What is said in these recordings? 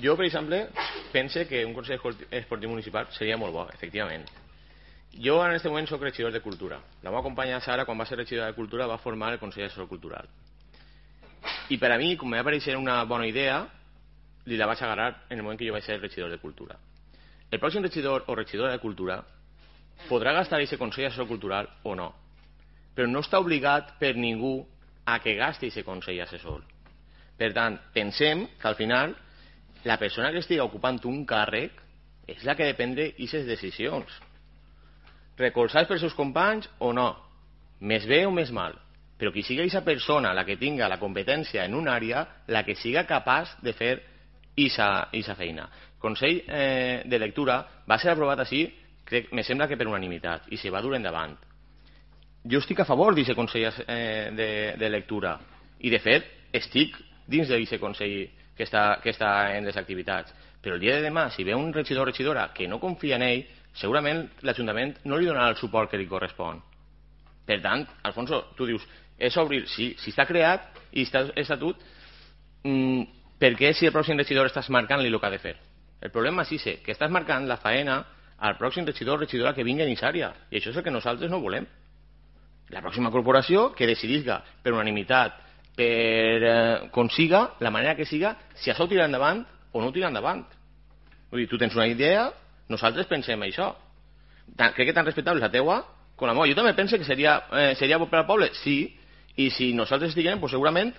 Jo, per exemple, pense que un Consell Esportiu Municipal seria molt bo, efectivament. Jo en aquest moment soc regidor de Cultura. La meva companya Sara, quan va ser regidora de Cultura, va formar el Consell Assessor Cultural. I per a mi, com em va aparèixer una bona idea, li la vaig agarrar en el moment que jo vaig ser regidor de Cultura. El pròxim regidor o regidora de Cultura podrà gastar aquest Consell Assessor Cultural o no, però no està obligat per ningú a que gasti aquest Consell Assessor. Per tant, pensem que al final la persona que estigui ocupant un càrrec és la que depèn d'aquestes decisions. Recolzats pels seus companys o no, més bé o més mal, però que sigui aquesta persona la que tinga la competència en una àrea, la que siga capaç de fer aquesta feina. El Consell de Lectura va ser aprovat així, me sembla que per unanimitat, i se va dur endavant. Jo estic a favor d'aquest Consell de Lectura, i de fet estic dins d'aquest Consell que està en les activitats. Però el dia de demà, si ve un regidor o regidora que no confia en ell, segurament l'Ajuntament no li donarà el suport que li correspon. Per tant, Alfonso, tu dius, és obrir, si està creat i està estatut, per què si el pròxim regidor estàs marcant-li el que ha de fer? El problema és que estàs marcant la faena al pròxim regidor o regidora que vingui a aquesta àrea, i això és el que nosaltres no volem. La pròxima corporació que decidisca per unanimitat, per com siga, la manera que siga, si això tira endavant o no tira endavant. Vull dir, tu tens una idea, nosaltres pensem això. Crec que tan respectable és la teua com la meva. Jo també penso que seria bo per al poble, sí, i si nosaltres estiguem, pues segurament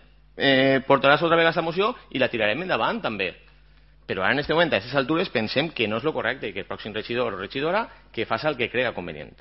portaràs otra vegada aquesta moció i la tirarem endavant també. Però ara en aquest moment, a aquestes altures, pensem que no és el correcte i que el pròxim regidor o regidora que faci el que crega convenient.